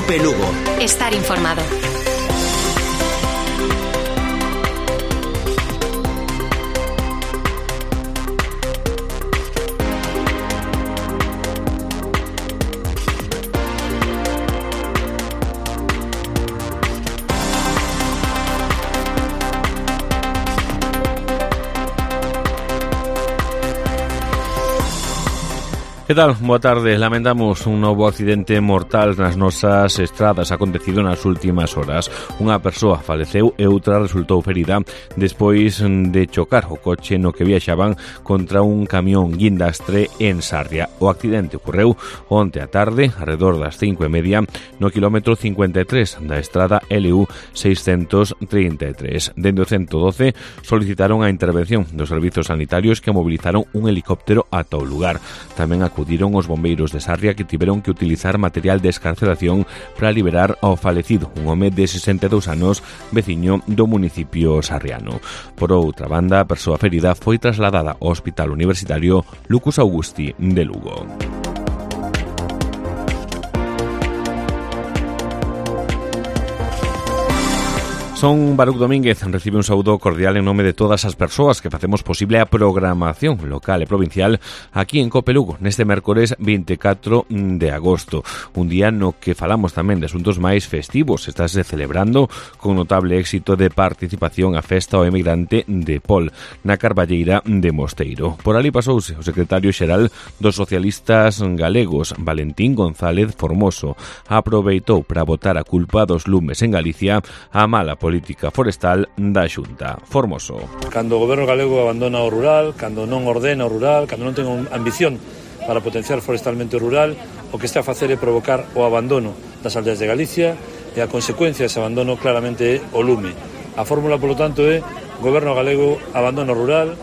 COPE Lugo. Estar informado. Que tal? Boa tarde. Lamentamos un novo accidente mortal nas nosas estradas acontecido nas últimas horas. Unha persoa faleceu e outra resultou ferida despois de chocar o coche no que viaxaban contra un camión guindastre en Sarria. O accidente ocorreu onte á tarde, alrededor das 5:30, no quilómetro 53 da estrada LU 633. Dende o 112 solicitaron a intervención dos servizos sanitarios que movilizaron un helicóptero ata o lugar. Tamén acudiron os bombeiros de Sarria que tiveron que utilizar material de escarcelación para liberar ao falecido, un home de 62 anos, veciño do municipio sarriano. Por outra banda, a persoa ferida foi trasladada ao Hospital Universitario Lucas Augusti de Lugo. Son Baruc Domínguez, recibe un saúdo cordial en nome de todas as persoas que facemos posible a programación local e provincial aquí en COPE Lugo, neste mércores 24 de agosto, un día no que falamos tamén de asuntos máis festivos. Estáse celebrando con notable éxito de participación a festa ao emigrante de Pol, na Carballeira de Mosteiro. Por ali pasouse o secretario xeral dos socialistas galegos, Valentín González Formoso. Aproveitou para botar a culpa dos lumes en Galicia a mala política forestal da Xunta. Formoso. Cando o goberno galego abandona o rural, cando non ordena o rural, cando non ten ambición para potenciar forestalmente o rural, o que está a facer é provocar o abandono das aldeas de Galicia e a consecuencia dese abandono claramente é o lume. A fórmula, polo tanto, é goberno galego abandona o rural,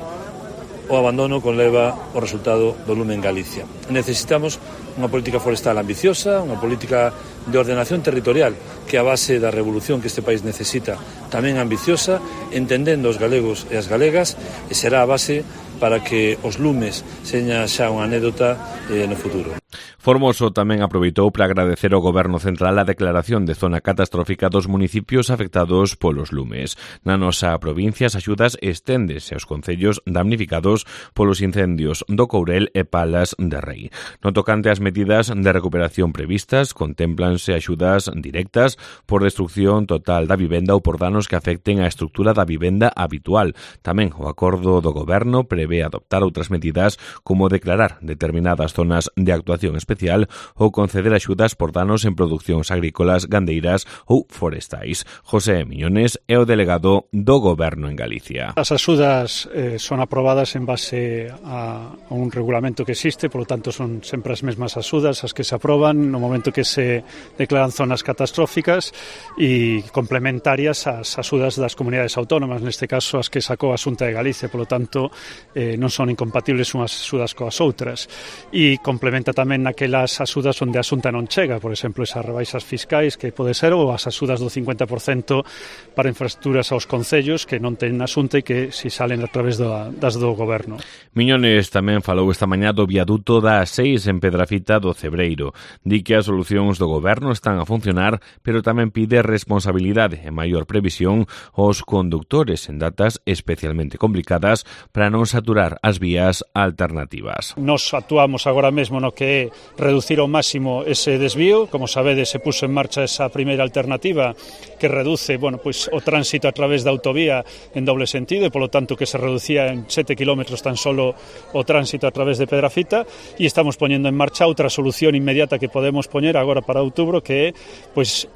o abandono conleva o resultado do lume en Galicia. Necesitamos unha política forestal ambiciosa, unha política de ordenación territorial que a base da revolución que este país necesita tamén ambiciosa, entendendo os galegos e as galegas, e será a base para que os lumes seña xa unha anécdota no futuro. Formoso tamén aproveitou para agradecer ao Goberno Central a declaración de zona catastrófica dos municipios afectados polos lumes. Na nosa provincia, as axudas esténdese aos concellos damnificados polos incendios do Courel e Palas de Rei. No tocante ás medidas de recuperación previstas, contemplanse axudas directas por destrucción total da vivenda ou por danos que afecten a estructura da vivenda habitual. Tamén o acordo do Goberno prevé adoptar outras medidas como declarar determinadas zonas de actuación especial ou conceder axudas por danos en producións agrícolas, gandeiras ou forestais. José Miñones é o delegado do Goberno en Galicia. As axudas son aprobadas en base a un regulamento que existe, polo tanto son sempre as mesmas axudas as que se aproban no momento que se declaran zonas catastróficas e complementarias ás axudas das comunidades autónomas, neste caso as que sacou a Xunta de Galicia, polo tanto non son incompatibles unhas axudas coas outras, e complementa tamén naquelas axudas onde a Xunta non chega, por exemplo, esas rebaixas fiscais que pode ser, ou as axudas do 50% para infraestructuras aos concellos que non ten a Xunta e que si salen a través das do Goberno. Miñones tamén falou esta mañá do viaduto da A6 en Pedrafita do Cebreiro. Di que as solucións do Goberno están a funcionar, pero tamén pide responsabilidade e maior previsión aos condutores en datas especialmente complicadas para non saturar as vías alternativas. Nos actuamos agora mesmo no que é reducir ao máximo ese desvío. Como sabedes, se puso en marcha esa primeira alternativa que reduce o tránsito a través da autovía en doble sentido e, polo tanto, que se reducía en 7 kilómetros tan solo o tránsito a través de Pedrafita, e estamos poñendo en marcha outra solución inmediata que podemos poñer agora para outubro, que é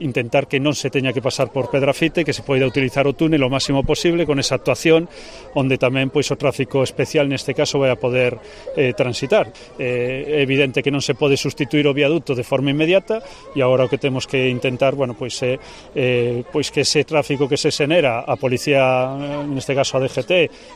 intentar que non se teña que pasar por Pedrafita e que se poida utilizar o túnel o máximo posible con esa actuación onde tamén o tráfico especial neste caso vai a poder transitar. É evidente que non se pode sustituir o viaduto de forma inmediata e agora o que temos que intentar que ese tráfico que se xenera, a policía, neste caso a DGT,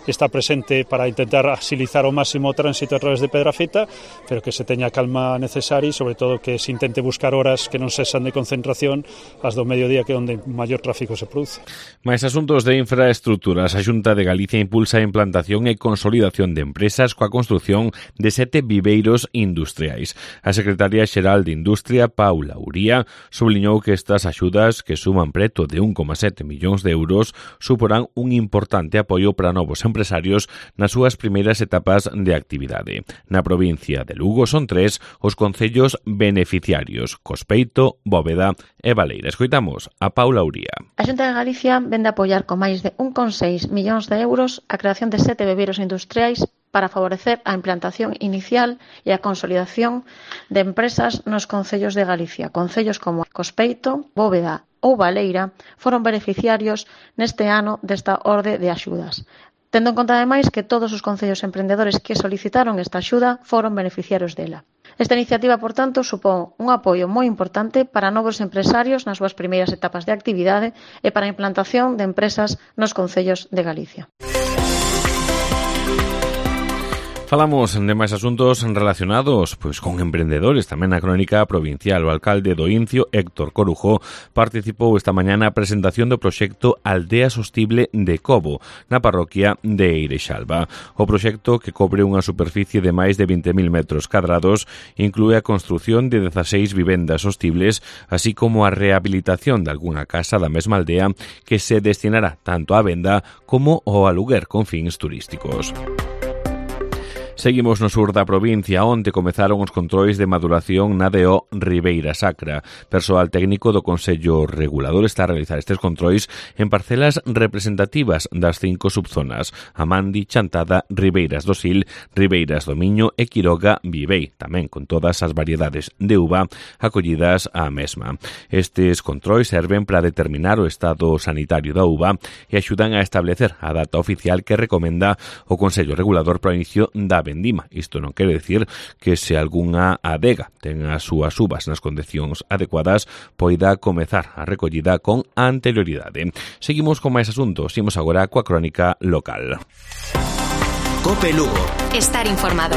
está presente para intentar agilizar ao máximo o tránsito a través de Pedrafita, pero que se teña a calma necesaria e sobre todo que se intente buscar horas que non sexan de concentración as do mediodía, que é onde maior tráfico se produce. Mais asuntos de infraestructuras, a Xunta de Galicia impulsa a implantación e consolidación de empresas coa construción de 7 viveiros industriais. A secretaria xeral de Industria, Paula Uría, subliñou que estas axudas, que suman preto de 1,7 millóns de euros, suporán un importante apoio para novos empresarios nas súas primeiras etapas de actividade. Na provincia de Lugo son 3 os concellos beneficiarios: Cospeito, Bóveda e Baleira. Escoitamos a Paula Uría. A Xunta de Galicia vende a apoiar con máis de 1,6 millóns de euros a creación de 7 bebeiros industriais para favorecer a implantación inicial e a consolidación de empresas nos concellos de Galicia. Concellos como Cospeito, Bóveda ou Baleira foron beneficiarios neste ano desta orde de axudas. Tendo en conta, ademais, que todos os concellos emprendedores que solicitaron esta axuda foron beneficiarios dela. Esta iniciativa, por tanto, supón un apoio moi importante para novos empresarios nas súas primeiras etapas de actividade e para a implantación de empresas nos concellos de Galicia. Falamos de máis asuntos relacionados con emprendedores. Tamén na crónica provincial, o alcalde do Incio, Héctor Corujo, participou esta mañá na presentación do proxecto Aldea Sostible de Cobo, na parroquia de Eirexalba. O proxecto, que cobre unha superficie de máis de 20.000 metros cadrados, inclúe a construción de 16 vivendas sostibles, así como a rehabilitación de algunha casa da mesma aldea que se destinará tanto á venda como ao aluguer con fins turísticos. Seguimos no sur da provincia, onde comezaron os controis de maduración na DO Ribeira Sacra. Persoal técnico do Consello Regulador está a realizar estes controis en parcelas representativas das 5 subzonas: Amandi, Chantada, Ribeiras do Sil, Ribeiras do Miño e Quiroga Vivei, tamén con todas as variedades de uva acollidas á mesma. Estes controis serven para determinar o estado sanitario da uva e axudan a establecer a data oficial que recomenda o Consello Regulador para o inicio da vendima. Isto non quere decir que se algunha adega ten as súas uvas nas condicións adecuadas poida comezar a recollida con anterioridade. Seguimos con máis asuntos. Imos agora coa crónica local. COPE Lugo. Estar informado.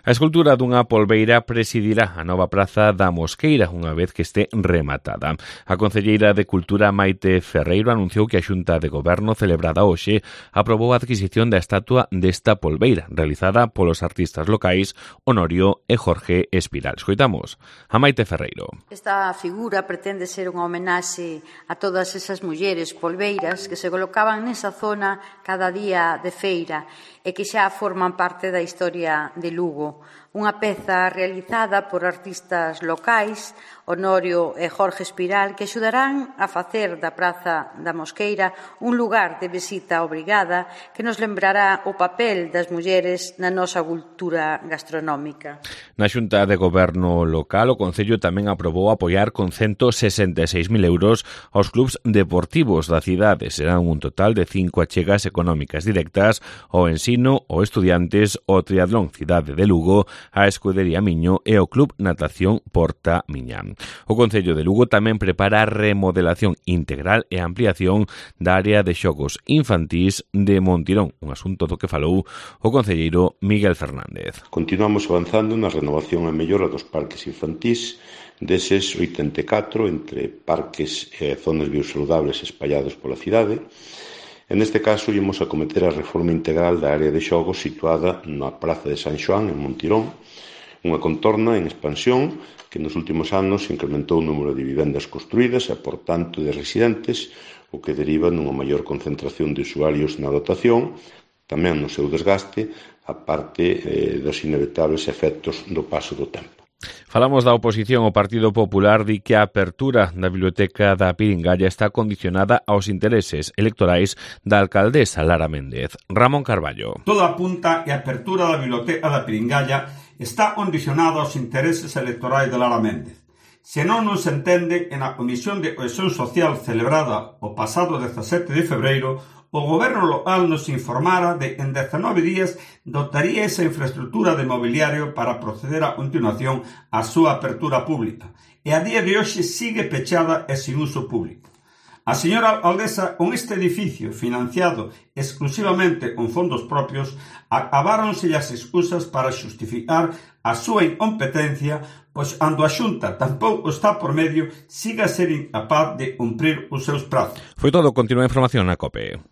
A escultura dunha polbeira presidirá a nova praza da Mosqueira unha vez que este rematada. A concelleira de Cultura, Maite Ferreiro, anunciou que a Xunta de Goberno celebrada hoxe aprobou a adquisición da estatua desta polbeira, realizada polos artistas locais Honorio e Jorge Espiral. Escoitamos a Maite Ferreiro. Esta figura pretende ser unha homenaxe a todas esas mulleres polbeiras que se colocaban nesa zona cada día de feira e que xa forman parte da historia de Lugo. Unha peza realizada por artistas locais, Honorio e Jorge Espiral, que axudarán a facer da Praza da Mosqueira un lugar de visita obrigada que nos lembrará o papel das mulleres na nosa cultura gastronómica. Na Xunta de Goberno local, o Concello tamén aprobou apoiar con 166.000 euros aos clubs deportivos da cidade. Serán un total de 5 achegas económicas directas ao ensino, ao estudiantes, ao triatlón Cidade de Lugo, a Escudería Miño e o Club Natación Porta Miñán. O Concello de Lugo tamén prepara a remodelación integral e ampliación da área de xogos infantís de Montirón, un asunto do que falou o concelleiro Miguel Fernández. Continuamos avanzando na renovación e mellora dos parques infantís, deses 84 entre parques e zonas biosaludables espallados pola cidade. En este caso, ímos a cometer a reforma integral da área de xogos situada na Praza de San Xoán, en Montirón, unha contorna en expansión que nos últimos anos incrementou o número de vivendas construídas e, por tanto, de residentes, o que deriva nunha maior concentración de usuarios na dotación, tamén no seu desgaste, a parte dos inevitables efectos do paso do tempo. Falamos da oposición. O Partido Popular di que a apertura da Biblioteca da Piringalla está condicionada aos intereses electorais da alcaldesa Lara Méndez. Ramón Carballo. Todo apunta que a apertura da Biblioteca da Piringalla está condicionada aos intereses electorais de Lara Méndez. Se non se entende, en a Comisión de Cohesión Social celebrada o pasado 17 de febreiro, o Goberno local nos informara de que en 19 días dotaría esa infraestructura de mobiliario para proceder a continuación á súa apertura pública. E a día de hoxe sigue pechada e sin uso público. A señora alcaldesa, con este edificio financiado exclusivamente con fondos propios, acabáronse as excusas para xustificar a súa incompetencia, pois cando a Xunta tampouco está por medio, siga a ser incapaz de cumprir os seus prazos. Foi todo. Continúa a información na COPE.